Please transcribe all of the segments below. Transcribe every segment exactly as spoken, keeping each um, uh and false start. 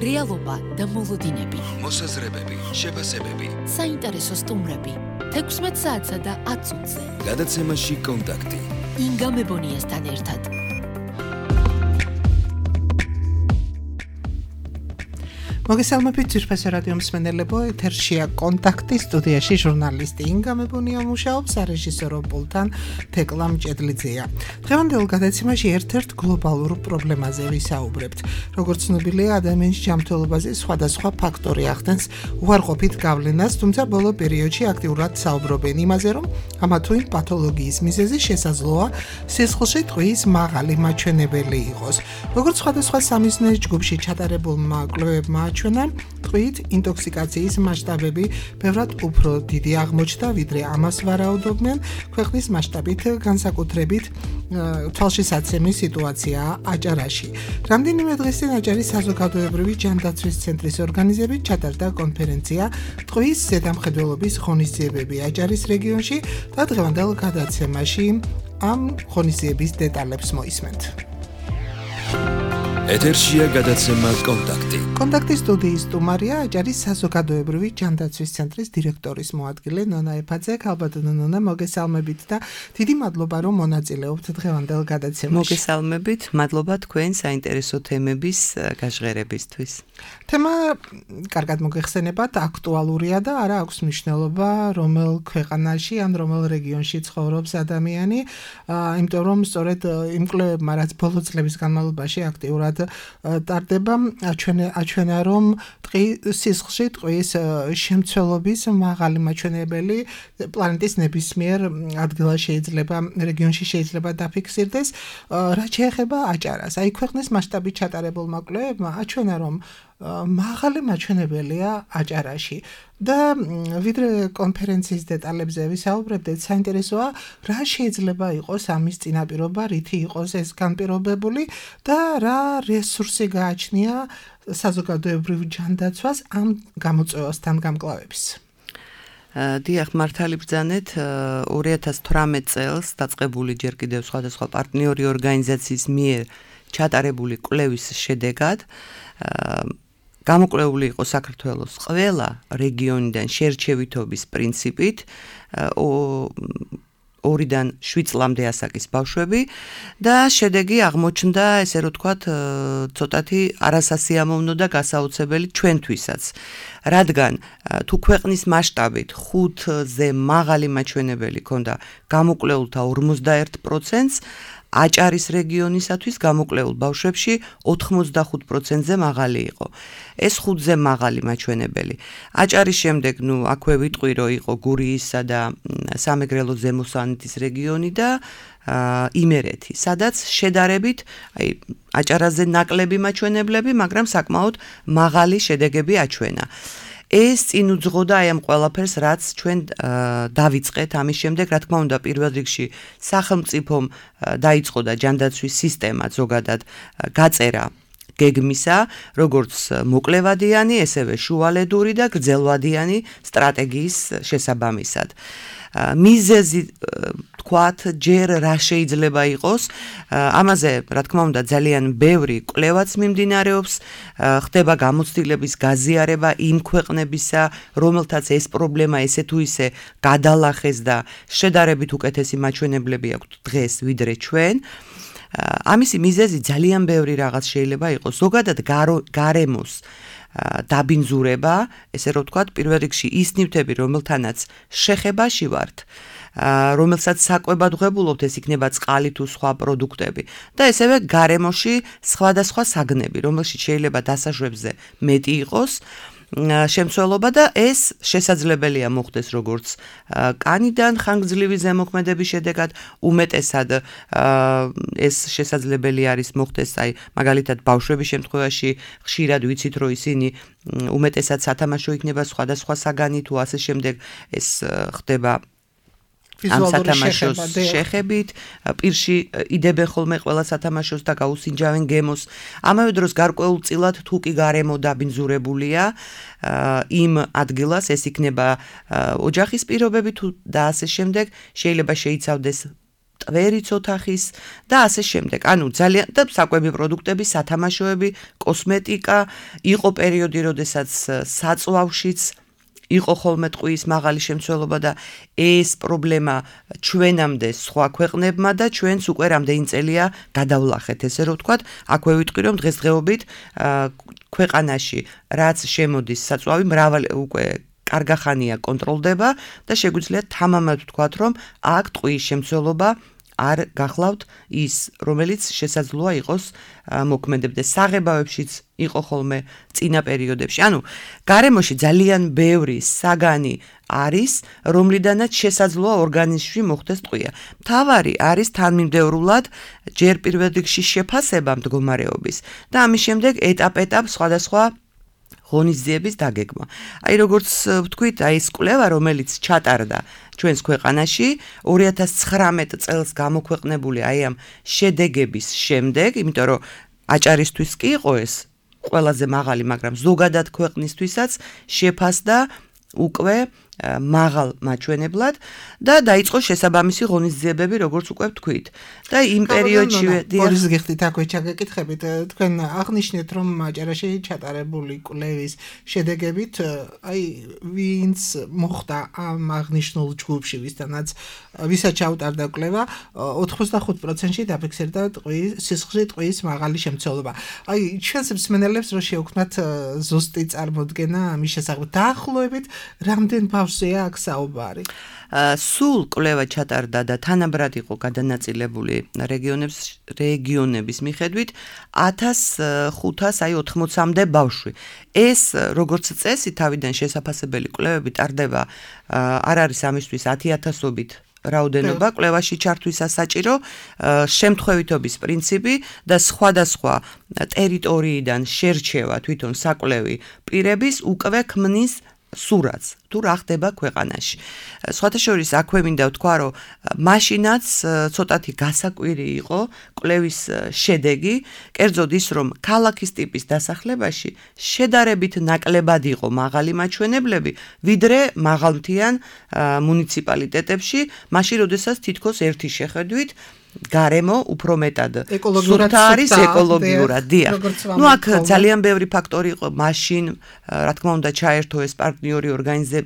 რეალობა და მოლოდინები, მოსაზრებები, შეფასებები, საინტერესო სტუმრები, თექვსმეტ საათსა და ათ წუთზე. გადაცემაში კონტაქტი. ინგა მებონიასთან ერთად. მოგესალმებით ძვირფასო რადიო მსმენელებო, ეთერშია კონტაქტი, სტუდიაში ჟურნალისტი ინგა მებონია მუშაობს, სარეჟისორო პულტთან თეკლა მჭედლიძეა. დღევანდელ გადაცემაში ერთ-ერთ გლობალურ პრობლემაზე ვისაუბრებთ. როგორც ცნობილია, ადამიანის ჯანმრთელობაზე სხვადასხვა ფაქტორი ახდენს უარყოფით გავლენას, თუმცა ბოლო პერიოდში აქტიურად საუბრობენ იმაზე, რომ ამა თუ იმ პათოლოგიის მიზეზი შესაძლოა სისხლში ტყვიის მაღალი მაჩვენებელი იყოს. როგორც სხვადასხვა სამიზნეს ჯგუფში ჩატარებულმა კვლევებმა ჩვენა ტყვით ინტოქსიკაციის მასშტაბები ბევრად უფრო დიდი აღმოჩნდა, ვიდრე ამას ვარაუდობდნენ. ქვეყნის მასშტაბით განსაკუთრებით თვალშისაცემი სიტუაციაა აჭარაში. რამდენიმე დღეს წინ აჭარის საზოგადოებრივი ჯანდაცვის ცენტრის ორგანიზებით ჩატარდა კონფერენცია ტყვის ზედამხედველობის ღონისძიებები აჭარის რეგიონში და დღევანდელ გადაცემაში ამ ღონისძიების დეტალებს მოისმენთ. ეთერშია გადაცემა კონტაქტი. კონტაქტის სტუდიის სტუმარია აჭარის საზოგადოებრივი ჯანდაცვის ცენტრის დირექტორის მოადგილე ნონა ეფაძე. ქალბატონო ნონა, მოგესალმებით და დიდი მადლობა, რომ მონაწილეობთ დღევანდელ გადაცემაში. მოგესალმებით, მადლობა თქვენ საინტერესო თემების გაჟღერებისთვის. თემა კარგად მოგეხსენებათ, აქტუალურია და არა აქვს მნიშვნელობა, რომელ ქვეყანაში ან რომელ რეგიონში ცხოვრობს ადამიანი, იმიტომ რომ სწორედ იმ კვლევებმა, რაც ბოლო წლების განმავლობაში აქტიურად ტარდება, აჩვენა, რომ სისხლში ტყვის შემცველობის მაღალი მაჩვენებელი პლანეტის ნებისმიერ ადგილას შეიძლება, რეგიონში შეიძლება დაფიქსირდეს. რაც შეეხება აჭარას, აი ქვეყნის მასშტაბით ჩატარებულმა კვლევებმა აჩვენა, რომ მაღალი მაჩვენებელია აჭარაში და ვიდრე კონფერენციის დეტალებზე ვისაუბრებდეთ, საინტერესოა, რა შეიძლება იყოს ამის წინაპირობა, რითი იყოს ეს განპირობებული და რა რესურსი გააჩნია საზოგადოებრივ ჯანდაცვას ამ გამოწვევასთან გამკლავების. დიახ, მართალი ბრძანეთ, ორი ათას თვრამეტ წელს დაწყებული ჯერ კიდევ სხვადასხვა პარტნიორი ორგანიზაციის მიერ ჩატარებული კვლევის შედეგად გამოკვლეული იყო საქართველოს ყველა რეგიონიდან შერჩევითობის პრინციპით ორიდან შვიდ წლამდე ასაკის ბავშვები და შედეგი აღმოჩნდა, ესე რომ ვთქვათ, ცოტათი არასასიამოვნო და გასაოცებელი ჩვენთვისაც. რადგან თუ ქვეყნის მასშტაბით ხუთზე მაღალი მაჩვენებელი ჰქონდა გამოკვლეულთა ორმოცდაერთ პროცენტს, აჭარის რეგიონისათვის გამოკვლეულ ბავშვებში ოთხმოცდახუთ პროცენტზე მაღალი იყო. ეს ხუთზე მაღალი მაჩვენებელი. აჭარის შემდეგ, ნუ აქვე ვიტყვი, რომ იყო გურიისა და სამეგრელო ზემო სვანეთის რეგიონი და იმერეთი, სადაც შედარებით, აი, აჭარაზე ნაკლები მაჩვენებლები, მაგრამ საკმაოდ მაღალი შედეგები აჩვენა. ეს წინ უძღოდა აი ამ ყველაფერს, რაც ჩვენ დავიწყეთ ამის შემდეგ, რა თქმა უნდა, პირველ რიგში სახელმწიფომ დაიწყო და ჯანდაცვის სისტემა ზოგადად გაწერა გეგმისა, როგორც მოკლევადიანი, ესევე შუალედური და გრძელვადიანი სტრატეგიის შესაბამისად. მიზეზი თქვათ, ჯერ რა შეიძლება იყოს, ამაზე, რა თქმა უნდა, ძალიან ბევრი კვლევაც მიმდინარეობს, ხდება გამოცდილების გაზიარება იმ ქვეყნებისა, რომელთაც ეს პრობლემა ესე თუ ისე გადალახეს და შედარებით უკეთესი მაჩვენებლები აქვთ დღეს ვიდრე ჩვენ. ამისი მიზეზი ძალიან ბევრი რაღაც შეიძლება იყოს, ზოგადად გარემოს დაბინძურება, ესე რომ ვთქვათ, პირველ რიგში ის ნივთები, რომელთანაც შეხებაში ვართ, რომელსაც საკვებად ვღებულობთ, ეს იქნება წყალი თუ სხვა პროდუქტები და ესევე გარემოში სხვადასხვა საგნები, რომელშიც შეიძლება დასაშვებზე მეტი იყოს შემცველობა და ეს შესაძლებელია მოხდეს როგორც კანიდან ხანგრძლივი ზემოქმედების შედეგად, უმეტესად ეს შესაძლებელი არის მოხდეს, აი, მაგალითად ბავშვების შემთხვევაში ხშირად ვიცით, რომ ისინი უმეტესად სათამაშო იქნება სხვადასხვა საგანი თუ ასე შემდეგ, ეს ხდება ამ სათამაშოს შეხებით, პირში იდებენ ხოლმე ყველა სათამაშოს და გაუსინჯავენ გემოს. ამავე დროს გარკვეულწილად თუ კი გარემო დაბინძურებულია იმ ადგილას, ეს იქნება ოჯახის პირობები თუ და ასე შემდეგ, შეიძლება შეიცავდეს ტვერიც ოთახის და ასე შემდეგ. ანუ ძალიან და საკვები პროდუქტები, სათამაშოები, კოსმეტიკა, იყო პერიოდი, როდესაც საწვავშიც იყო ხოლმე ტყუის მაღალი შემცველობა და ეს პრობლემა ჩვენამდე სხვა ქვეყნებმა და ჩვენც უკვე რამდენი წელია გადავლახეთ, ესე რომ ვთქვათ, აქვე ვიტყვი რომ დღესდღეობით ქვეყანაში რაც შემოდის საწვავი მრავალი უკვე კარგახანია კონტროლდება და შეგვიძლია თამამად ვთქვათ, რომ აქ ტყუის შემცველობა არ გახლავთ ის, რომელიც შესაძლოა იყოს მოქმედებდეს საღებავებშიც იყო ხოლმე წინა პერიოდებში. ანუ გარემოში ძალიან ბევრი საგანი არის, რომლიდანაც შესაძლოა ორგანიზმში მოხდეს ტყვია. მთავარი არის თანმიმდევრულად ჯერ პირველ რიგში შეფასება მდგომარეობის და ამის შემდეგ ეტაპ-ეტაპ სხვადასხვა ღონისძიების დაგეგმა. აი როგორც ვთქვით, აი ეს კვლევა, რომელიც ჩატარდა ჩვენს ქვეყანაში ორი ათას ცხრამეტ წელს გამოქვეყნებული აი ამ შედეგების შემდეგ, იმიტომ რომ აჭარისთვის კი იყო ეს ყველაზე მაღალი, მაგრამ ზოგადად ქვეყნისთვისაც შეფასდა უკვე მაღალ მაჩვენებლად და დაიწყო შესაბამისი ღონისძიებები, როგორც უკვე ვთქვით. და იმ პერიოდშივე ბორის გიხდით აქვე ჩაგეკითხებით, თქვენ აღნიშნეთ, რომ აჭარაში ჩატარებული კვლევის შედეგებით, აი ვინც მოხდა ამ აღნიშნულ ჯგუფში, ვისთანაც ვისაც ჩაუტარდა კვლევა, ოთხმოცდახუთ პროცენტში დაფიქსირდა ტყუის სისხლში ტყუის მაღალი შემცველობა. აი ჩვენს მსმენელებს რო შევქმნათ ზუსტი წარმოდგენა ამის შესახებ, დაახლოებით რამდენ ბავშვია აქ საუბარი? სულ კვლევა ჩატარდა და თანაბრად იყო გადანაწილებული რეგიონების რეგიონების მიხედვით ათას ხუთას აი ოთხმოცამდე ბავშვი. ეს როგორც წესი თავიდან შესაფასებელი კვლევები ტარდება, არ არის ამისთვის ათი ათასობით რაოდენობა კვლევაში ჩართვისას საჭირო, შემთხვევითობის პრინციპი და სხვადასხვა ტერიტორიიდან შერჩევა თვითონ საკვლევი პირების უკვე ქმნის სურათს თუ რა ხდება ქვეყანაში. სხვათა შორის აქვე მინდა ვთქვა, რომ მაშინაც ცოტათი გასაკვირი იყო კვლევის შედეგი, კერძოდ ის, რომ ქალაქის ტიპის დასახლებაში შედარებით ნაკლებად იყო მაღალი მაჩვენებლები, ვიდრე მაღალმთიან მუნიციპალიტეტებში, მაშინ როდესაც თითქოს ერთი შეხედვით გარემო უფრო მეტად ეკოლოგიურად არის ეკოლოგიურად, დიახ. ნუ აქ ძალიან ბევრი ფაქტორი იყო, მაშინ რა თქმა უნდა ჩაერთო ეს პარტნიორი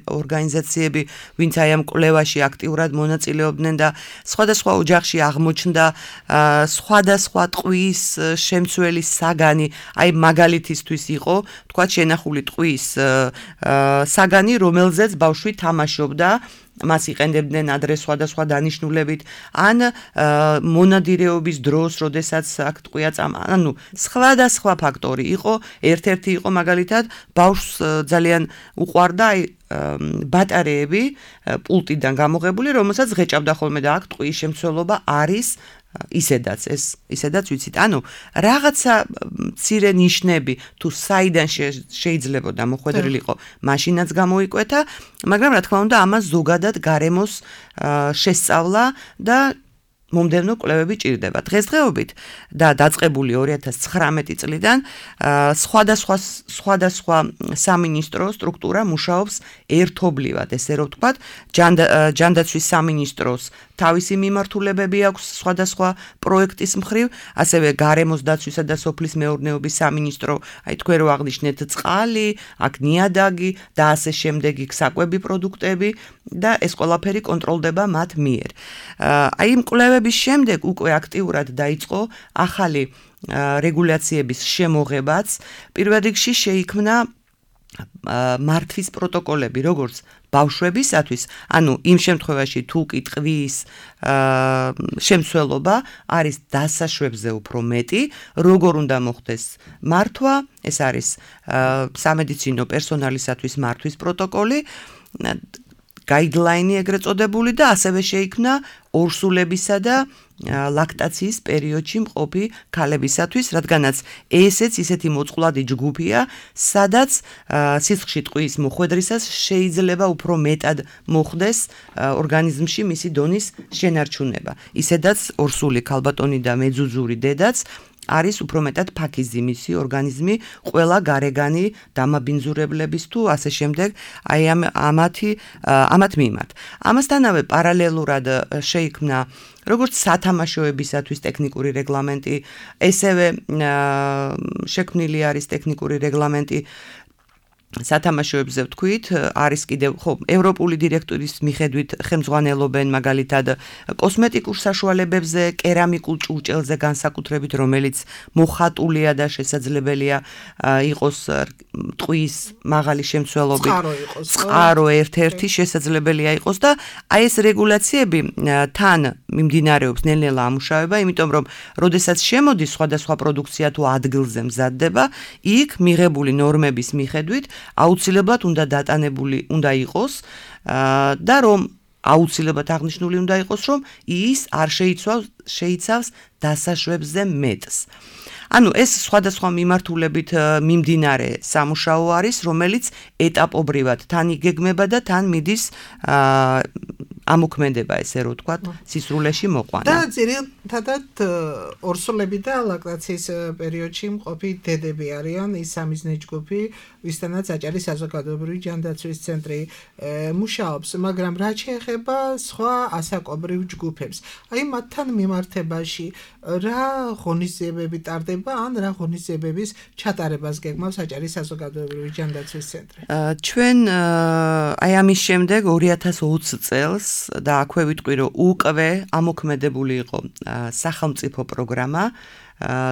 ორგანიზაციები, ვინც აი ამ კვლევაში აქტიურად მონაწილეობდნენ და სხვადასხვა ოჯახში აღმოჩნდა სხვადასხვა ტყუის შემცველი საგანი, აი მაგალითისთვის იყო, თქვა შენახული ტყუის საგანი, რომელზეც ბავშვი თამაშობდა, მას იყენდებდნენ ადრე სხვადასხვა დანიშნულებით, ან მონადირეობის დროს, როდესაც აქ ტყვია წამა, ანუ სხვადასხვა ფაქტორი იყო, ერთ-ერთი იყო მაგალითად ბავშვს ძალიან უყვარდა აი ბატარეები პულტიდან გამოღებული, რომელსაც ღეჭავდა ხოლმე და აქ ტყუის შემცველობა არის ისედაც ეს ისედაც ვიცით. ანუ რაღაცა მცირე ნიშნები თუ საიდან შეიძლება მოხვედრილიყო, მაშინაც გამოიკვეთა, მაგრამ რა თქმა უნდა ამას ზოგადად გარემოს შესწავლა და მომდევნო კვლევები ჭირდება. დღესდღეობით და დაწყებული ორი ათას ცხრამეტი წლიდან სხვადასხვა სხვადასხვა სამინისტრო სტრუქტურა მუშაობს ერთობლივად, ესე რომ ვთქვათ, ჯანდაცვის სამინისტროს თავისი მიმართულებები აქვს სხვადასხვა პროექტის მხრივ, ასევე გარემოს დაცვისა და სოფლის მეურნეობის სამინისტრო, აი თქვენ რო აღნიშნეთ წყალი, აქ ნიადაგი და ასე შემდეგ იქ საკვები პროდუქტები და ეს ყველაფერი კონტროლდება მათ მიერ. აი იმ კვლევების შემდეგ უკვე აქტიურად დაიწყო ახალი რეგულაციების შემოღებაც, პირველ რიგში შეიქმნა მართვის პროტოკოლები, როგორც ბავშვებისათვის, ანუ იმ შემთხვევაში თუ კი ტყვის შემცველობა არის დასაშვებზე უფრო მეტი, როგორ უნდა მოხდეს მართვა, ეს არის სამედიცინო პერსონალისათვის მართვის პროტოკოლი, guideline ეგრეთ წოდებული და ასევე შეიქმნა ორსულებისა და ლაქტაციის პერიოდში მყოფი ქალებისათვის, რადგანაც ესეც ისეთი მოწყვლადი ჯგუფია, სადაც სისხლში ტყვის მოხვედრისას შეიძლება უფრო მეტად მოხდეს ორგანიზმში მისი დონის შენარჩუნება. ისედაც ორსული ქალბატონი და მეძუძური დედაც არის უფრო მეტად ფაქიზი მისი ორგანიზმი ყველა გარეგანი დამაბინძურებლების თუ ასე შემდეგ აი ამ ამათი ამათ მიმართ. ამასთანავე პარალელურად შეიქმნა როგორც სათამაშოებისათვის ტექნიკური რეგლამენტი, ესევე შექმნილი არის ტექნიკური რეგლამენტი სათამაშოებზე ვთქვით, არის კიდევ ხო ევროპული დირექტორის მიხედვით ხელმძღვანელობენ მაგალითად კოსმეტიკურ საშუალებებზე, კერამიკულ ჭურჭელზე განსაკუთრებით, რომელიც მოხატულია და შესაძლებელია იყოს ტყვის მაღალი შემცველობით, წყარო ერთ-ერთი შესაძლებელია იყოს და აი ეს რეგულაციები თან მიმდინარეობს ნელ-ნელა ამუშავება, იმიტომ რომ როდესაც შემოდის სხვადასხვა პროდუქცია თუ ადგილზე მზადდება, იქ მიღებული ნორმების მიხედვით აუცილებლად უნდა დატანებული უნდა იყოს და რომ აუცილებლად აღნიშნული უნდა იყოს რომ ის არ შეიცავს შეიცავს დასაშვებზე მეტს. ანუ ეს სხვადასხვა მიმართულებით მიმდინარე სამუშაო არის, რომელიც ეტაპობრივად თან იგეგმება და თან მიდის ამოქმედება ესე რომ ვთქვათ, სისრულეში მოყვანა. და ძირითადად ორსულები და ლაქტაციის პერიოდში მყოფი დედები არიან ის სამიზნე ჯგუფი, ვისთანაც აჭარის საზოგადოებრივი ჯანდაცვის ცენტრი მუშაობს, მაგრამ რაც შეეხება სხვა ასაკობრივ ჯგუფებს, აი მათთან მიმართებაში რა ღონისძიებები ტარდება ან რა ღონისძიებების ჩატარებას გეგმავს აჭარის საზოგადოებრივი ჯანდაცვის ცენტრი? ჩვენ აი ამის შემდეგ ორი ათას ოცი წელს და აქვე ვიტყვი რომ უკვე ამოქმედებული იყო სახელმწიფო პროგრამა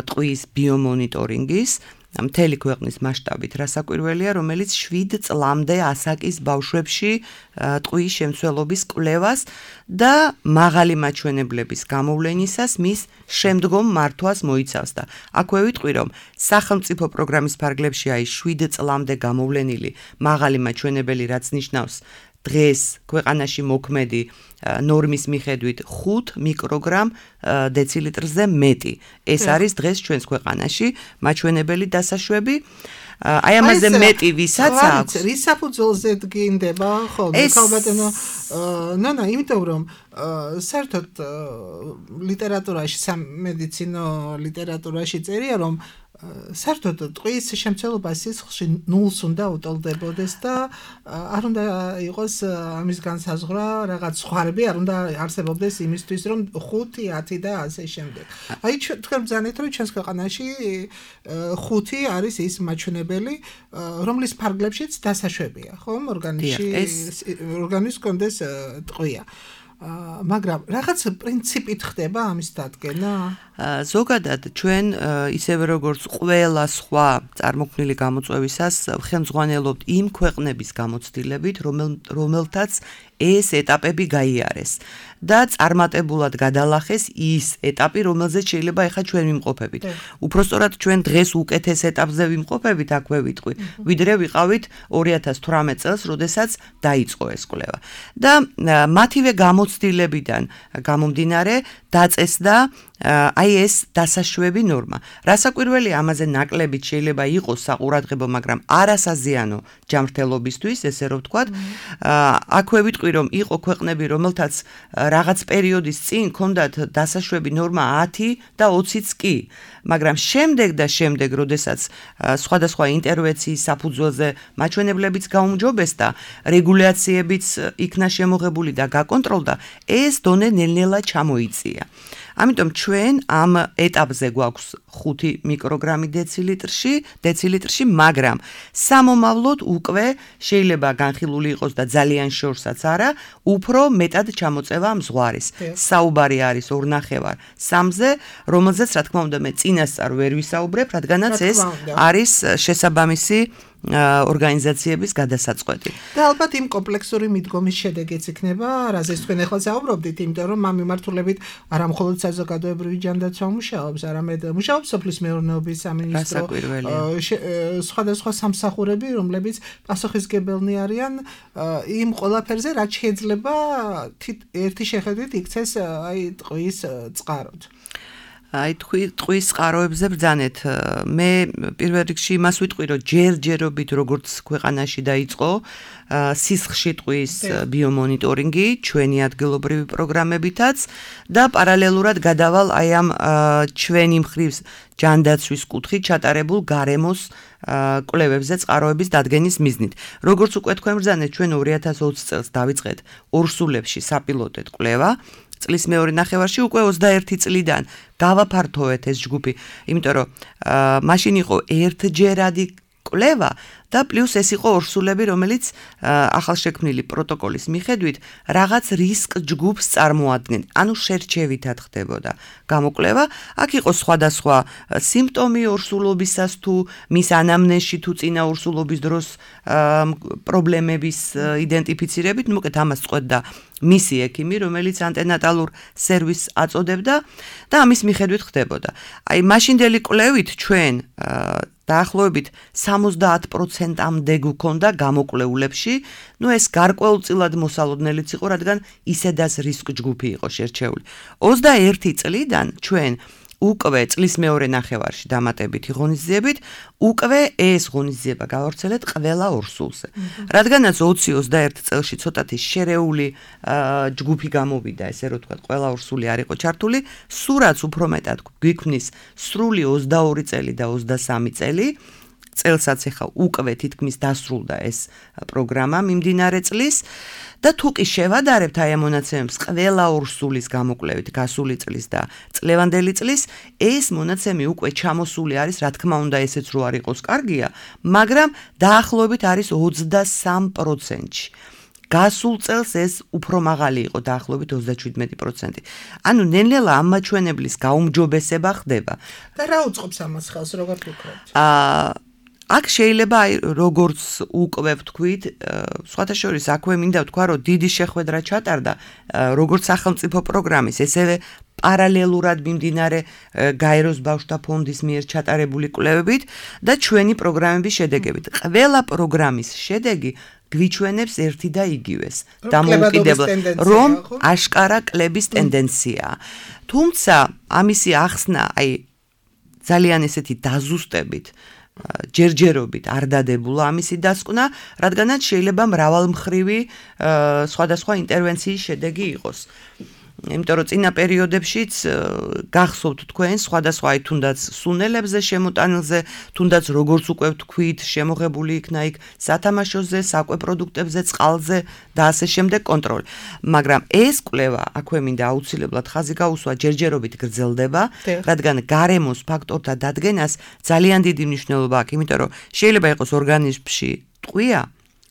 ტყვის ბიომონიტორინგის მთელი ქვეყნის მასშტაბით რასაკვირველია, რომელიც შვიდ წლამდე ასაკის ბავშვებში ტყვის შემცველობის კვლევას და მაღალი მაჩვენებლების გამოვლენისას მის შემდგომ მართვას მოიცავს და აქვე ვიტყვი რომ სახელმწიფო პროგრამის ფარგლებში აი შვიდ წლამდე გამოვლენილი მაღალი მაჩვენებელი რაც ნიშნავს დღეს ქვეყანაში მოქმედი ნორმის მიხედვით ხუთ მიკროგრამ დეცილიტრზე მეტი. ეს არის დღეს ჩვენს ქვეყანაში მაჩვენებელი დასაშვები. აი ამაზე მეტი ვისაც აქვს. რის საფუძველზე დგინდება ხოლმე ქალბატონო ნანა, იმიტომ რომ საერთოდ ლიტერატურაში, სამედიცინო ლიტერატურაში წერია რომ საერთოდ ტყვის შემცველობა სისხლში ნულს უნდა უტოლდებოდეს და არ უნდა იყოს ამის განსაზღვრა რაღაც სხვარები, არ უნდა არსებობდეს იმისთვის რომ ხუთი, ათი და ასე შემდეგ. აი თქვენ ბრძანეთ რომ ჩვენს ქვეყანაში ხუთი არის ის მაჩვენებელი, რომლის ფარგლებშიც დასაშვებია, ხომ? ორგანიზმში ორგანიზმს კონდეს ტყვია. მაგრამ რაღაც პრინციპით ხდება ამის დადგენა? ზოგადად ჩვენ ისევე როგორც ყველა სხვა წარმოქმნილი გამოწვევისას ხელმძღვანელობთ იმ ქვეყნების გამოცდილებით, რომელთაც ეს ეტაპები გაიარეს და წარმატებულად გადალახეს ის ეტაპი, რომელზეც შეიძლება ახლა ჩვენ ვიმყოფებით. უпростоრად ჩვენ დღეს უკეთეს ეტაპზე ვიმყოფებით, აქვე ვიტყვი, ვიდრე ვიყავით ორი ათას თვრამეტ წელს, როდესაც დაიწყო ეს კვლევა. და მათივე გამოცდილებიდან გამომდინარე დაწესდა აი ეს დასაშვები ნორმა. რასაკვირველია, ამაზე ნაკლებით შეიძლება იყოს საყურადღებო, მაგრამ არასაზიანო ჯანმრთელობისთვის, ესე რომ ვთქვათ. აქვე ვიტყვი რომ იყო ქვეყნები, რომელთაც რაღაც პერიოდის წინ ჰქონდათ დასაშვები ნორმა ათი და ოციც კი, მაგრამ შემდეგ და შემდეგ, როდესაც სხვადასხვა ინტერვენციის საფუძველზე მაჩვენებლებიც გაუმჯობესდა, რეგულაციებიც იქნა შემოღებული და გაკონტროლდა, ეს დონე ნელ-ნელა ჩამოიწია. ამიტომ ჩვენ ამ ეტაპზე გვაქვს ხუთი მიკროგრამი დეცილიტრში, დეცილიტრში, მაგრამ სამომავლოდ უკვე შეიძლება განხილული იყოს და ძალიან შორსაც არა, უფრო მეტად ჩამოწევა მზღვარის. საუბარი არის ორნახევარ სამზე, რომელზეც რა თქმა უნდა მე წინასწარ ვერ ვისაუბრებ, რადგანაც ეს არის შესაბამისი ორგანიზაციების გადასაწყვეტი. და ალბათ იმ კომპლექსური მიდგომის შედეგიც იქნება, რაზეც თქვენ ახლა საუბრობდით, იმიტომ რომ ამ მიმართულებით არა მხოლოდ საზოგადოებრივი ჯანდაცვა მუშაობს, არამედ მუშაობს სოფლის მეურნეობის სამინისტრო, სხვადასხვა სამსახურები, რომლებიც პასუხისმგებელნი არიან იმ ყველაფერზე, რაც შეიძლება ერთი შეხედვით იქცეს აი ტყვის წყაროდ. აი თქვი ტყვის წყაროებზე ბრძანეთ. მე პირველ რიგში იმას ვიტყვი, რომ ჯერჯერობით როგორც ქვეყანაში დაიწყო სისხლში ტყვის ბიომონიტორინგი, ჩვენი ადგილობრივი პროგრამებითაც და პარალელურად გადავალ აი ამ ჩვენი მხრივ ჯანდაცვის კუთხით ჩატარებულ გარემოს კვლევებზე წყაროების დადგენის მიზნით. როგორც უკვე თქვენ ბრძანეთ, ჩვენ ორი ათას ოცი წელს დავიწყეთ ორსულებში საპილოტეთ კვლევა. წლის მეორე ნახევარში უკვე ოცდაერთი წლიდან გავაფართოვეთ ეს ჯგუფი, იმიტომ რომ მაშინ იყო ერთჯერადი კვლევა და პლუს ეს იყო ორსულები, რომელიც ახალშექმნილი პროტოკოლის მიხედვით რაღაც რისკ ჯგუფს წარმოადგენენ. ანუ შერჩევითად ხდებოდა გამოკვლევა. აქ იყო სხვადასხვა სიმპტომი ორსულობისას თუ მის ანამნეზში თუ წინა ორსულობის დროს პრობლემების იდენტიფიცირებით, ну, მოკეთ ამას წყვეტდა მისი ექიმი, რომელიც ანტენატალურ სერვისს აწოდებდა და ამის მიხედვით ხდებოდა. აი, მაშინდელი კვლევით ჩვენ დაახლოებით სამოცდაათ პროცენტამდე გვქონდა გამოკვლეულებში, ну ეს გარკვეულწილად მოსალოდნელიც იყო, რადგან ისედაც რისკ ჯგუფი იყო შერჩეული. ოცდაერთი წლიდან ჩვენ უკვე წლის მეორე ნახევარში დამატებითი ღონისძიებით, უკვე ეს ღონისძიება გავავრცელეთ ყველა ორსულზე. რადგანაც ოცი ოცდაერთი წელში ცოტათი შერეული ჯგუფი გამოვიდა, ესე რომ ვთქვათ, ყველა ორსული არ იყო ჩართული, სურაც უფრო მეტად გვიქმნის სრული ოცდაორი წელი და ოცდასამი წელი. წელსაც ახლა უკვე თითქმის დასრულდა ეს პროგრამა მიმდინარე წლის და თუ კი შევადარებთ აი ამ მონაცემებს ყველა ორსულის გამოკვლევით გასული წლის და წლევანდელი წლის, ეს მონაცემი უკვე ჩამოსული არის, რა თქმა უნდა, ესეც რო არ იყოს კარგია, მაგრამ დაახლოებით არის ოცდასამ პროცენტში. გასულ წელს ეს უფრო მაღალი იყო, დაახლოებით ოცდაშვიდმეტი პროცენტი. ანუ ნელ-ნელა ამ მაჩვენებლის გაუმჯობესება ხდება. და რა უწყობს ამას ხელს, როგორ ვფიქრობთ? აა აქ შეიძლება აი როგორც უკვე ვთქვით, სხვათა შორის აქვე მინდა ვთქვა, რომ დიდი შეხვედრა ჩატარდა როგორც სახელმწიფო პროგრამის, ესევე პარალელურად მიმდინარე გაეროს ბავშვთა ფონდის მიერ ჩატარებული კვლევებით და ჩვენი პროგრამების შედეგებით. ყველა პროგრამის შედეგი გვიჩვენებს ერთი და იგივეს. დამოუკიდებლად, რომ აშკარა კლების ტენდენციაა. თუმცა ამისი ახსნა, აი ძალიან ესეთი დაზუსტებით ჯერჯერობით არ დადებულა ამისი დასკვნა, რადგანაც შეიძლება მრავალმხრივი სხვადასხვა ინტერვენციის შედეგი იყოს. იმიტომ რომ წინა პერიოდებშიც გახსოვთ თქვენ სხვადასხვა აი თუნდაც სუნელებზე შემოტანილზე, თუნდაც როგორც უკვე ვთქვით, შემოღებული იქნა იქ სათამაშოზე, საკვე პროდუქტებზე, წყალზე და ასე შემდეგ კონტროლი. მაგრამ ეს კვლევა, აქვე მინდა აუცილებლად ხაზი გაუსვა, ჯერჯერობით გრძელდება, რადგან გარემოს ფაქტორთა დადგენას ძალიან დიდი მნიშვნელობა აქვს, იმიტომ რომ შეიძლება იყოს ორგანიზმში ტყვია,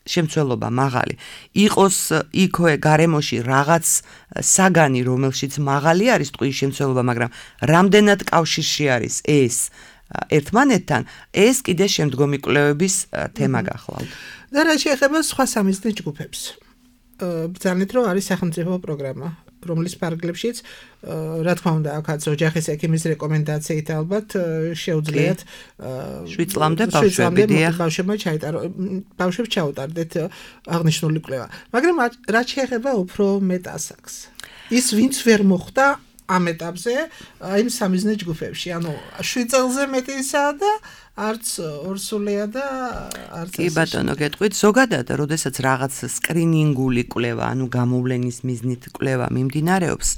შემცველობა მაღალი. იყოს იქოე გარემოში რაღაც საგანი, რომელშიც მაღალი არის ტყვის შემცველობა, მაგრამ რამდენად კავშირში არის ეს ერთმანეთთან, ეს კიდე შემდგომი კვლევების თემა გახლავთ. და რა შეეხება სხვა სამიზნე ჯგუფებს? ბრძანეთ, რომ არის სახელმწიფო პროგრამა, რომლის ფარგლებშიც, რა თქმა უნდა, აქაც ოჯახის ექიმის რეკომენდაციით ალბათ შეუძლიათ შვიდ წლამდე ბავშვები დიახ, ბავშვებმა ჩაიტარო, ბავშვებს ჩაუტარდეთ აღნიშნული კვლევა. მაგრამ რა შეეხება უფრო მეტ ასაკს? ის ვინც ვერ მოხვდა ამ ეტაპზე იმ სამიზნე ჯგუფებში, ანუ შვიდ წელზე მეტისა და არც ორსულია და არც კი ბატონო, გეტყვით, ზოგადად, როდესაც რაღაც სკრინინგული კვლევა, ანუ გამოვლენის მიზნით კვლევა მიმდინარეობს,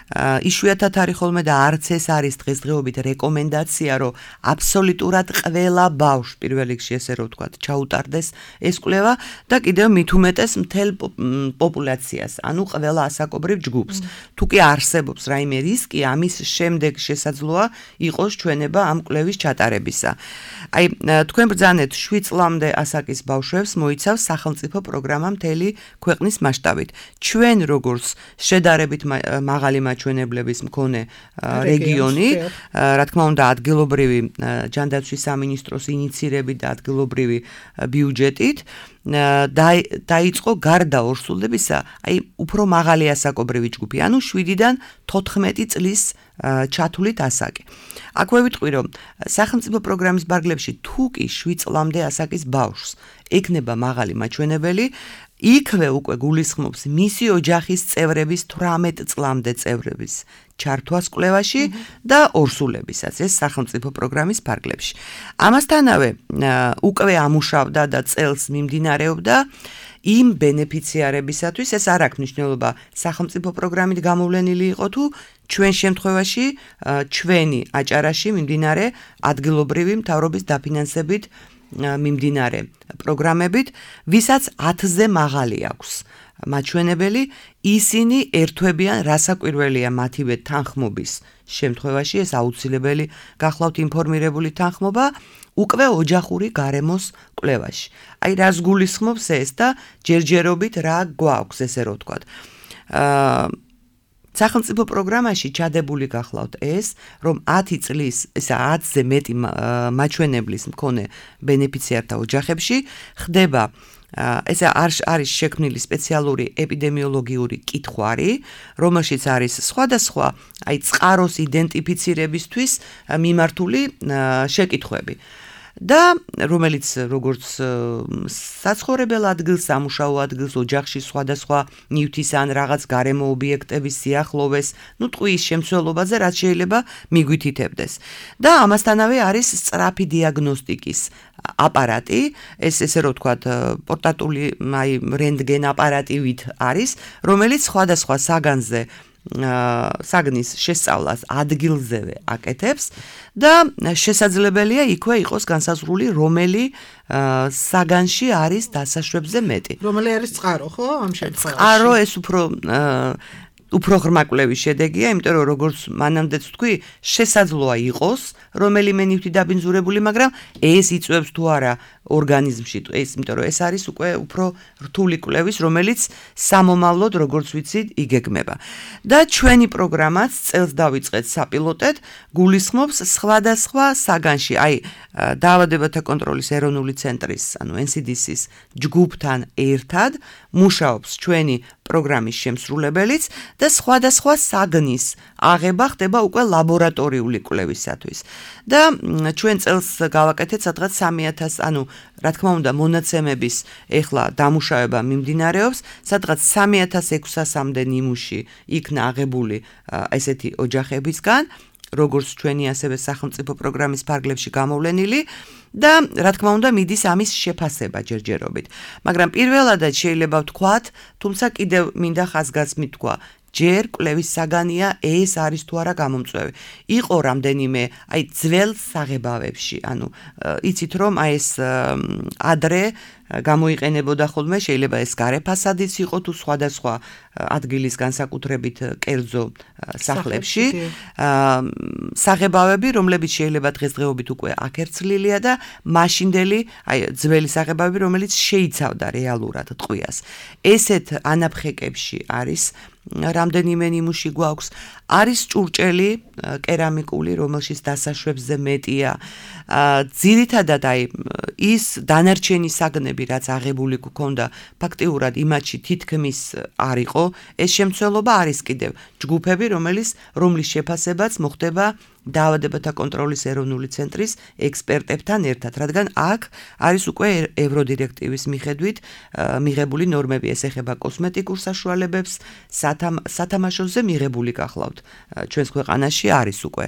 იშვიათად არის ხოლმე და არც ეს არის დღესდღეობით რეკომენდაცია, რომ აბსოლუტურად ყველა ბავშვს პირველ რიგში ესე რომ ვთქვათ, ჩაუტარდეს ეს კვლევა და კიდევ მით უმეტეს მთელ პოპულაციას, ანუ ყველა ასაკობრივ ჯგუფს. თუ კი არსებობს რაიმე რისკი, ამის შემდეგ შესაძლოა იყოს ჩვენება ამ კვლევის ჩატარებისა. აი, თქვენ ბრძანეთ შვიდ წლამდე ასაკის ბავშვებს მოიცავს სახელმწიფო პროგრამა მთელი ქვეყნის მასშტაბით. ჩვენ როგორც შედარებით მაღალი მაჩვენებლების მქონე რეგიონი, რა თქმა უნდა, ადგილობრივი ჯანდაცვის სამინისტროს ინიცირებით და ადგილობრივი ბიუჯეტით დაიწყო გარდა ორსულებისა, აი უფრო მაღალი ასაკობრივი ჯგუფი, ანუ შვიდიდან თოთხმეტი წლის ჩათვლით ასაკი. აქვე ვიტყვი, რომ სახელმწიფო პროგრამის ბარგლებში თუ კი შვიდ წლამდე ასაკის ბავშვს ექნება მაღალი მაჩვენებელი, იქვე უკვე გულისხმობს მისი ოჯახის წევრების თვრამეტ წლამდე წევრების ჩართვას კვლევაში და ორსულებისაც ეს სახელმწიფო პროგრამის ფარგლებში. ამასთანავე უკვე ამუშავდა და წელს მიმდინარეობდა იმ ბენეფიციარებისათვის ეს არ აქვს მნიშვნელობა სახელმწიფო პროგრამით გამოვლენილი იყო თუ ჩვენ შემთხვევაში ჩვენი აჭარაში მიმდინარე ადგილობრივი მთავრობის დაფინანსებით მიმდინარე პროგრამებით, ვისაც ათზე მაღალი აქვს მაჩვენებელი, ისინი ერთვებიან რასაკვირველია მათივე თანხმობის შემთხვევაში, ეს აუცილებელი გახლავთ ინფორმირებული თანხმობა, უკვე ოჯახური გარემოს კვლევაში. აი რას გულისხმობს ეს და ჯერჯერობით რა გვაქვს, ესე რომ ვთქვათ. აა სახელმწიფო პროგრამაში ჩადებული გახლავთ ეს, რომ ათი წლის, ესა ათზე მეტი მაჩვენებლის მქონე ბენეფიციართა ოჯახებში ხდება ეს არის შექმნილი სპეციალური ეპიდემიოლოგიური კითხვარი, რომელშიც არის სხვადასხვა აი წყაროს იდენტიფიცირებისთვის მიმართული შეკითხვები. და რომელიც როგორც საცხოვრებელ ადგილს, სამუშაო ადგილს, ოჯახში სხვადასხვა ნივთის ან რაღაც გარემო ობიექტების სიახლოვეს, ну ტყუის შემცველობაზე რაც შეიძლება მიგვითითებდეს. და ამასთანავე არის სწრაფი დიაგნოსტიკის აპარატი, ეს ესე რომ ვთქვათ, პორტატული აი რენტგენ აპარატივით არის, რომელიც სხვადასხვა საგანზე საგნის შესწავლას ადგილზევე აკეთებს და შესაძლებელია იქვე იყოს განსაზღვრული რომელი საგანში არის დასაშვებზე მეტი. რომელი არის წყარო, ხო? ამ შემთხვევაში. წყარო ეს უფრო უფრო ღრმა კვლევის შედეგია, იმიტომ რომ როგორც მანამდეც ვთქვი, შესაძლოა იყოს რომელიმე ნივთი დაბინძურებული, მაგრამ ეს იწვევს თუ არა ორგანიზმში, ეს იმიტომ რომ ეს არის უკვე უფრო რთული კვლევის, რომელიც სამომავლოდ როგორც ვიცით, იგეგმება. და ჩვენი პროგრამაც წელს დავიწყეთ საპილოტედ, გულისხმობს სხვადასხვა საგანში, აი დაავადებათა კონტროლის ეროვნული ცენტრის, ანუ N C D C-ის ჯგუფთან ერთად მუშაობს ჩვენი პროგრამის შემსრულებელიც და სხვადასხვა საგნის აღება ხდება უკვე ლაბორატორიული კვლევისათვის. და ჩვენ წელს გავაკეთეთ სადღაც სამი ათასი, ანუ რა თქმა უნდა მონაცემების ეხლა დამუშავება მიმდინარეობს, სადღაც სამი ათას ექვსასამდე ნიმუში იქნა აღებული ესეთი ოჯახებისგან, როგორც ჩვენი ასევე სახელმწიფო პროგრამის ფარგლებში გამოვლენილი და რა თქმა უნდა მიდის ამის შეფასება ჯერჯერობით. მაგრამ პირველადაც შეიძლება ვთქვათ, თუმცა კიდევ მინდა ხაზგასმით თქვა, ჯერ კვლევის საგანია ეს არის თუ არა გამომწვევი. იყო რამდენიმე აი ძველ საღებავებში, ანუ იცით რომ აი ეს ადრე გამოიყენებოდა ხოლმე, შეიძლება ეს გარე ფასადიც იყო თუ სხვადასხვა ადგილის განსაკუთრებით კერძო სახლებში, საღებავები, რომლებიც შეიძლება დღესდღეობით უკვე აკერცლილია და მაშინდელი, აი ძველი საღებავები, რომელიც შეიცავდა რეალურად ტყვიას. ესეთ ანაფხეკებში არის რამდენიმე ნიმუში გვაქვს, არის ჭურჭელი კერამიკული, რომელშიც დასაშვებზე მეტია. ძირითადად აი ის დანარჩენი საგნები, რაც აღებული გქონდა, ფაქტიურად იმათში თითქმის არ იყო. ეს შემცველობა არის კიდევ ჯგუფები, რომელიც რომლის შეფასებაც მოხდება დაავადებათა კონტროლის ეროვნული ცენტრის ექსპერტებთან ერთად, რადგან აქ არის უკვე ევროდირექტივის მიხედვით მიღებული ნორმები, ეს ეხება კოსმეტიკურ საშუალებებს, სათამაშოზე მიღებული გახლავთ. ჩვენს ქვეყანაში არის უკვე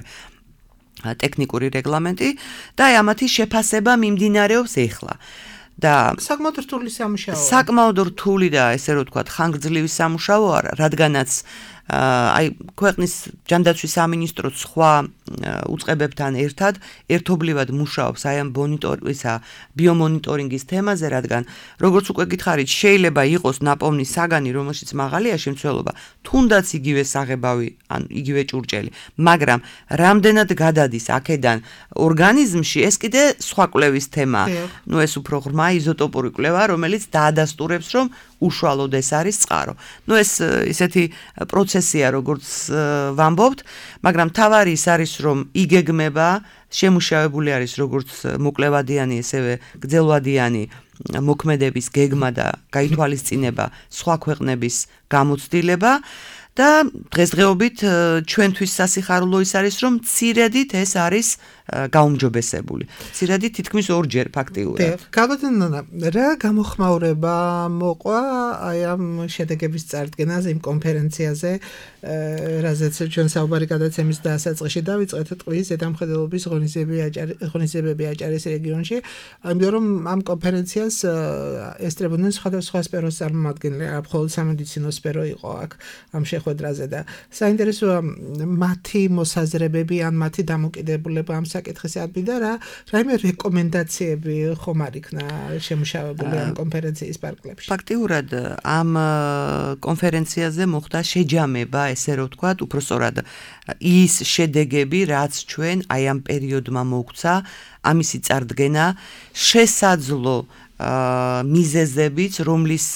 ტექნიკური რეგლამენტი და აი ამათი შეფასება მიმდინარეობს ეხლა. და საკმაოდ რთული სამუშაოა. საკმაოდ რთული და ესე რომ ვთქვათ, ხანგრძლივი სამუშაო არა, რადგანაც აი ქვეყნის ჯანდაცვის სამინისტროს სხვა უწყებებთან ერთად ერთობლივად მუშაობს აი ამ მონიტორინგისა, ბიომონიტორინგის თემაზე, რადგან როგორც უკვე გითხარით, შეიძლება იყოს ნაპოვნი საგანი, რომელშიც მაღალია შემცველობა, თუნდაც იგივე საღებავი, ან იგივე ჭურჭელი, მაგრამ რამდენად გადადის აქედან ორგანიზმში, ეს კიდე სხვა კვლევის თემაა. ნუ ეს უფრო ღრმა იზოტოპური კვლევა, რომელიც დაადასტურებს, რომ უშუალოდ ეს არის წყარო. ნუ ეს ისეთი პროცესია, როგორც ვამბობთ, მაგრამ თავარი ის არის, რომ იგეგმება, შემუშავებული არის როგორც მოკლევადიანი, ესევე გრძელვადიანი მოქმედების გეგმა და გაითვალისწინება სხვა ქვეყნების გამოცდილება და დღესდღეობით ჩვენთვის სასიხარულო ის არის, რომ მცირედით ეს არის გაუმჯობესებული. მცირედით თითქმის ორჯერ ფაქტიურად. გავადანონა, რა გამოხმაურება მოყვა აი ამ შედეგების წარდგენაზე იმ კონფერენციაზე, რაზეც ჩვენ საუბარი გადაცემის დასაწყისში დავიწყეთ ტყვის ზედამხედველობის ღონისძიებები აჭარის რეგიონში, იმიტომ რომ ამ კონფერენციას ესწრებოდნენ სხვადასხვა სფეროს წარმომადგენლები, მხოლოდ სამედიცინო სფერო იყო აქ ამ შეხვედრაზე და საინტერესოა მათი მოსაზრებები ან მათი დამოკიდებულება ამ საკითხის ადმი და რა რაიმე რეკომენდაციები ხომ არ იქნა შემუშავებული ამ კონფერენციის პარკლებში. ფაქტიურად ამ კონფერენციაზე მოხდა შეჯამება, ესე რომ ვთქვათ, უпроსწორად ის შედეგები, რაც ჩვენ აი ამ პერიოდმა მოგვცა, ამისი წარდგენა შესაძლო მიზეზებიც, რომლის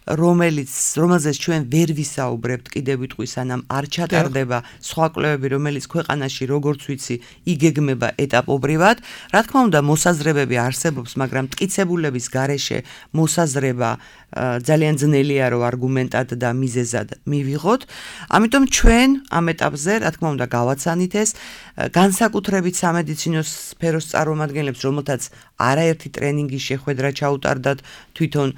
რომელიც რომელზეც ჩვენ ვერ ვისაუბრებთ კიდევ ვიტყვის ანამ არ ჩატარდება სხვა კვლევები, რომელიც ქვეყანაში როგორც ვიცი იგეგმება ეტაპობრივად. რა თქმა უნდა, მოსაზრებები არსებობს, მაგრამ მტკიცებულების გარეშე მოსაზრება ძალიან ძნელია, რომ არგუმენტად და მიზეზად მივიღოთ. ამიტომ ჩვენ ამ ეტაპზე, რა თქმა უნდა, გავაცანით ეს განსაკუთრებით სამედიცინო სფეროს წარმომადგენლებს, რომელთაც არაერთი ტრენინგის შეხვედრა ჩაუტარდათ თვითონ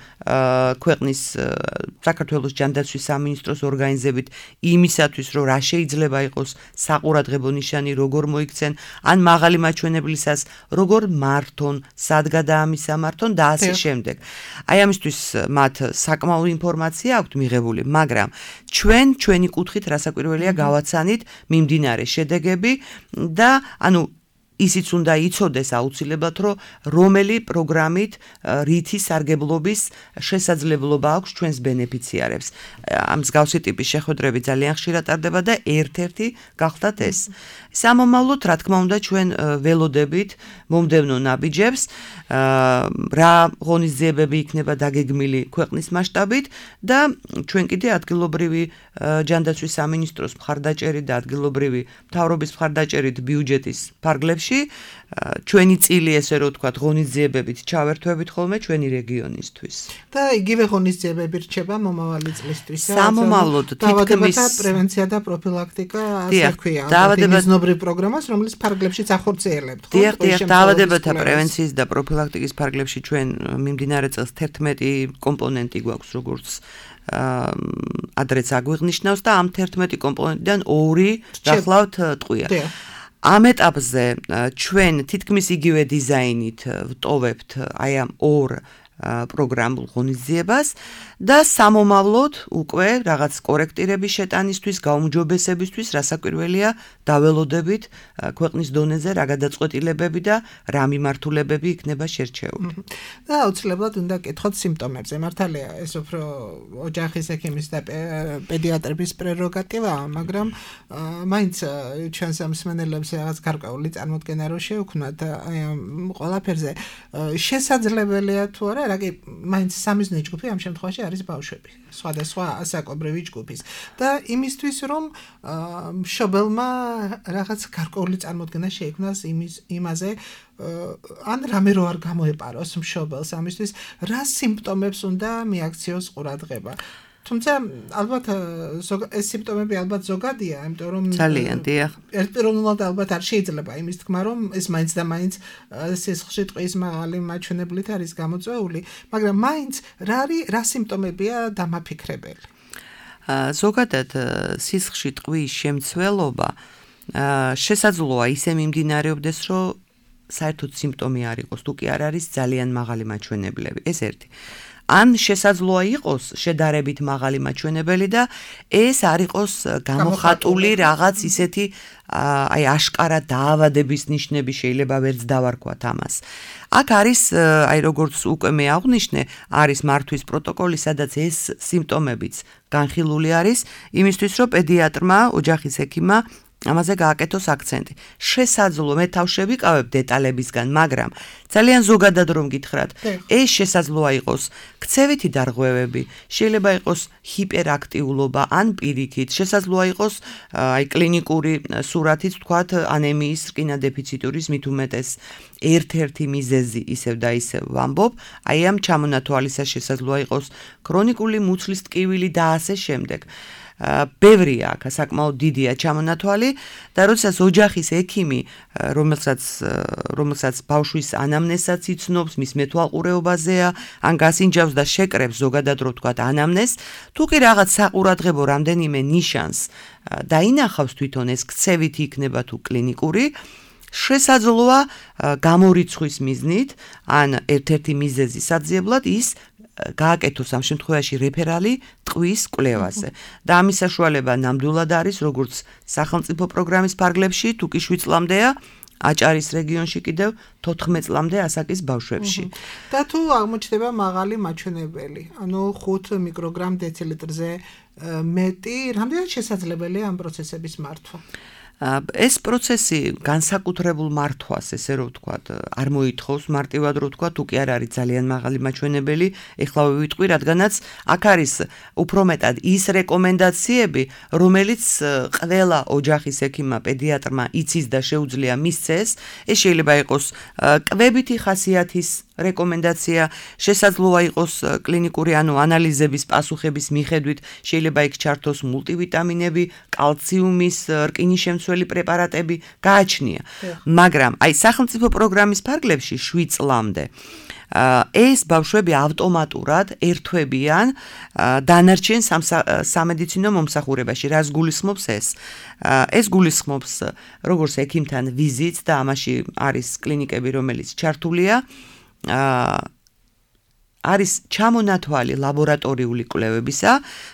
ქვეყნის საქართველოს ჯანდაცვის სამინისტროს ორგანიზებით იმისათვის, რომ რა შეიძლება იყოს საყურადღებო ნიშანი, როგორ მოიქცენ, ან მაღალი მაჩვენებლისას როგორ მართონ, სად გადაამისამართონ და ასე შემდეგ. აი ამისთვის მათ საკმაო ინფორმაცია აქვთ მიღებული, მაგრამ ჩვენ ჩვენი კუთხით რასაკვირველია გავაცანით მიმდინარე შედეგები და ანუ ისიც უნდა იცოდეს აუცილებლად, რომ რომელი პროგრამით რითი სარგებლობის შესაძლებლობა აქვს ჩვენს ბენეფიციარებს. ამ მსგავსი ტიპის შეხვედრები ძალიან ხშირად ტარდება და ერთ-ერთი გახლდათ ეს. სამომავლოდ, რა თქმა უნდა, ჩვენ ველოდებით მომდევნო ნაბიჯებს, რა ღონისძიებები იქნება დაგეგმილი ქვეყნის მასშტაბით და ჩვენ კიდე ადგილობრივი ჯანდაცვის სამინისტროს მხარდაჭერით და ადგილობრივი მთავრობის მხარდაჭერით ბიუჯეტის ფარგლებში ჩვენი წილი, ესე რომ ვთქვათ, ღონისძიებებით ჩავერთვებით ხოლმე ჩვენი რეგიონისთვის. და იგივე ღონისძიებები რჩება მომავალი წლისთვის. სამომავლოდ თითქმის პრევენცია და პროფილაქტიკა, ასე ქვია. დაავადებათა პროგრამას, რომელიც ფარგლებშიც ახორციელებთ. დიახ, დიახ, დაავადებათა პრევენციის და პროფილაქტიკის ფარგლებში ჩვენ მიმდინარე წელს თერთმეტი კომპონენტი გვაქვს, როგორც ადრეც აგვიღნიშნავს და ამ თერთმეტი კომპონენტიდან ორი გახლავთ ტყვია. ამ ეტაპზე ჩვენ თითქმის იგივე დიზაინით ვტოვებთ აი ამ ორ პროგრამულ ღონისძიებას და სამომავლოდ უკვე რაღაც კორექტირების შეტანისთვის, გაუმჯობესებისთვის, რასაკვირველია, დაველოდებით ქვეყნის დონეზე რა გადაწყვეტილებები და რა მიმართულებები იქნება შერჩეული. და აუცილებლად უნდა კითხოთ სიმპტომებზე. მართალია, ეს უფრო ოჯახის ექიმის და პედიატრების პრეროგატივაა, მაგრამ მაინც ჩვენს მსმენელებს რაღაც გარკვეული წარმოდგენა რო შევქმნათ აი ამ ყველაფერზე. შესაძლებელია თუ არა, რაგი მაინც სამიზნე ჯგუფი ამ შემთხვევაში არის ბავშვები, სხვადასხვა ასაკობრივი ჯგუფის. და იმისთვის, რომ მშობელმა რაღაც გარკვეული წარმოდგენა შეიქმნას იმის იმაზე, ან რამე რო არ გამოეპაროს მშობელს, ამისთვის რა სიმპტომებს უნდა მიაქციოს ყურადღება. თუმცა ალბათ ეს სიმპტომები ალბათ ზოგადია, იმიტომ რომ ძალიან დიახ. ერთპიროვნულად ალბათ არ შეიძლება იმის თქმა, რომ ეს მაინც და მაინც სისხლში ტყვის მაღალი მაჩვენებლით არის გამოწვეული, მაგრამ მაინც რა არის რა სიმპტომებია დამაფიქრებელი. ზოგადად სისხლში ტყვის შემცველობა შესაძლოა ისე მიმდინარეობდეს, რომ საერთოდ სიმპტომი არ იყოს, თუ კი არ არის ძალიან მაღალი მაჩვენებლები. ეს ერთი. ან შესაძლოა იყოს შედარებით მაღალი მაჩვენებელი და ეს არ იყოს გამოხატული რაღაც ისეთი აი აშკარა დაავადების ნიშნები, შეიძლება ვერც დავარქვათ ამას. აქ არის აი როგორც უკვე მე აღვნიშნე, არის მართვის პროტოკოლი, სადაც ეს სიმპტომებიც განხილული არის, იმისთვის რომ პედიატრმა, ოჯახის ექიმმა ამაზე გააკეთოს აქცენტი. შესაძლოა მე თავში ვიკავებ დეტალებისგან, მაგრამ ძალიან ზოგადად რომ გითხრათ, ეს შესაძლოა იყოს ქცევითი დარღვევები, შეიძლება იყოს ჰიპერაქტიულობა ან პირიქით, შესაძლოა იყოს აი კლინიკური სურათიც, ვთქვათ, ანემიის, რკინა-დეფიციტურის მით უმეტეს ერთ-ერთი მიზეზი ისევ და ისევ ვამბობ, აი ამ ჩამონათვალისას შესაძლოა იყოს ქრონიკული მუცლის ტკივილი და ასე შემდეგ. ბევრია აქ საკმაოდ დიდია ჩამონათვალი და როდესაც ოჯახის ექიმი რომელსაც რომელსაც ბავშვის ანამნეზსაც იცნობს, მის მეთვალყურეობაზეა, ან გასინჯავს და შეკრებს ზოგადად რო ვთქვათ ანამნეზს, თუ კი რაღაც საყურადღებო რამდენიმე ნიშანს დაინახავს თვითონ ეს ქცევით იქნება თუ კლინიკური შესაძლოა გამორიცხვის მიზნით ან ერთ-ერთი მიზეზი საძიებლად ის გააკეთოს ამ შემთხვევაში რეფერალი ტყვის კვლევაზე და ამის საშუალება ნამდვილად არის როგორც სახელმწიფო პროგრამის ფარგლებში თუ კი შვიდ წლამდეა აჭარის რეგიონში კიდევ თოთხმეტ წლამდე ასაკის ბავშვებში. და თუ აღმოჩნდება მაღალი მაჩვენებელი, ანუ ხუთ მიკროგრამ დეცილიტრზე მეტი, რამდენად შესაძლებელია ამ პროცესების მართვა? ეს პროცესი განსაკუთრებულ მართვას, ესე რომ ვთქვათ, არ მოითხოვს მარტივად რომ ვთქვათ, თუ კი არ არის ძალიან მაღალი მაჩვენებელი, ეხლა ვიტყვი, რადგანაც აქ არის უფრო მეტად ის რეკომენდაციები, რომელიც ყველა ოჯახის ექიმმა, პედიატრმა იცის და შეუძლია მისცეს, ეს შეიძლება იყოს კვებითი ხასიათის რეკომენდაცია, შესაძლოა იყოს კლინიკური ანუ ანალიზების პასუხების მიხედვით, შეიძლება იქ ჩართოს მულტივიტამინები, კალციუმის, რკინის შემცველი პრეპარატები, გააჩნია. მაგრამ აი სახელმწიფო პროგრამის ფარგლებში შვიდ წლამდე ეს ბავშვები ავტომატურად ერთვებიან დანარჩენ სამედიცინო მომსახურებაში. რას გულისხმობს ეს? ეს გულისხმობს როგორც ექიმთან ვიზიტს და ამაში არის კლინიკები, რომელიც ჩართულია არის ჩამონათვალი ლაბორატორიული კვლევებისა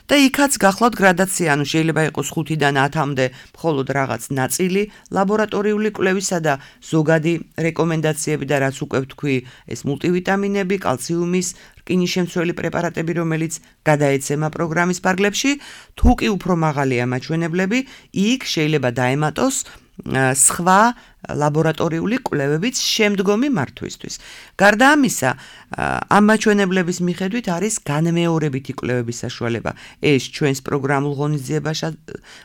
და იქაც გახლავთ გრადაცია, ანუ შეიძლება იყოს ხუთიდან ათამდე მხოლოდ რაღაც ნაწილი ლაბორატორიული კვლევისა და ზოგადი რეკომენდაციები და რაც უკვე ვთქვი, ეს მულტივიტამინები, კალციუმის, რკინის შემცველი პრეპარატები, რომელიც გადაეცემა პროგრამის ფარგლებში, თუ კი უფრო მაღალია მაჩვენებლები, იქ შეიძლება დაემატოს სხვა ლაბორატორიული კვლევებით შემდგომი მართვისთვის. გარდა ამისა, ამ მაჩვენებლების მიხედვით არის განმეორებითი კვლევების საშუალება. ეს ჩვენს პროგრამულ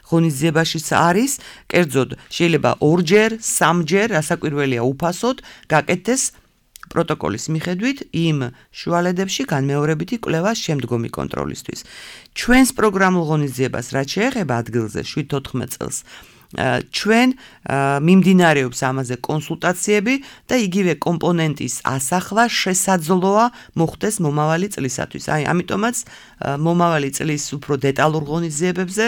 ღონისძიებაშიც არის, კერძოდ შეიძლება ორჯერ, სამჯერ, რასაკვირველია უფასოდ გაკეთდეს პროტოკოლის მიხედვით იმ შუალედებში განმეორებითი კვლევა შემდგომი კონტროლისთვის. ჩვენს პროგრამულ ღონისძიებას რაც შეეხება ადგილზე შვიდ თოთხმეტ წელს ჩვენ მიმდინარეობს ამაზე კონსულტაციები და იგივე კომპონენტის ასახვა შესაძლოა მოხდეს მომავალი წლისათვის. აი, ამიტომაც მომავალი წლის უფრო დეტალურ ღონისძიებებზე,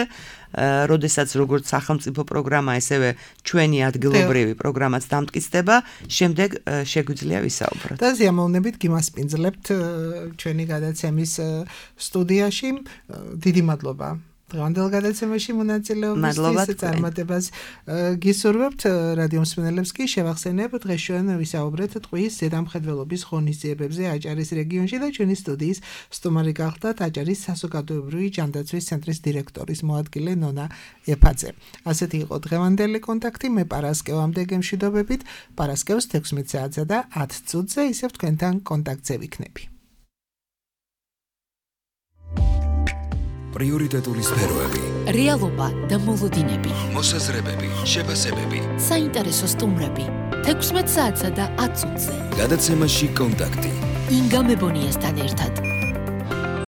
როდესაც როგორც სახელმწიფო პროგრამა, ესევე ჩვენი ადგილობრივი პროგრამაც დამტკიცდება, შემდეგ შეგვიძლია ვისაუბროთ. და ზიამოვნებით გიმასპინძლებთ ჩვენი gadacemის სტუდიაში. დიდი მადლობა. დღევანდელ გადაცემაში მონაწილეობისთვის წარმატებას გისურვებთ. რადიო მსმენელებს კი შევახსენებ, დღეს ჩვენ ვისაუბრეთ ტყვის ზედამხედველობის ღონისძიებებზე აჭარის რეგიონში და ჩვენი სტუდიის სტუმარი გახლდათ აჭარის საზოგადოებრივი ჯანდაცვის ცენტრის დირექტორის მოადგილე ნონა ეფაძე. ასეთი იყო დღევანდელი კონტაქტი. მე პარასკევამდე გემშვიდობებით. პარასკევს თექვსმეტ საათსა და ათ წუთზე ისევ თქვენთან კონტაქტზე ვიქნები. პრიორიტეტული სფეროები, რეალობა და მოლოდინები, მოსაზრებები, შეფასებები, საინტერესო სტუმრები, თექვსმეტ საათსა და ათ წუთზე. გადაცემაში კონტაქტი. ინგა მებონიასთან ერთად.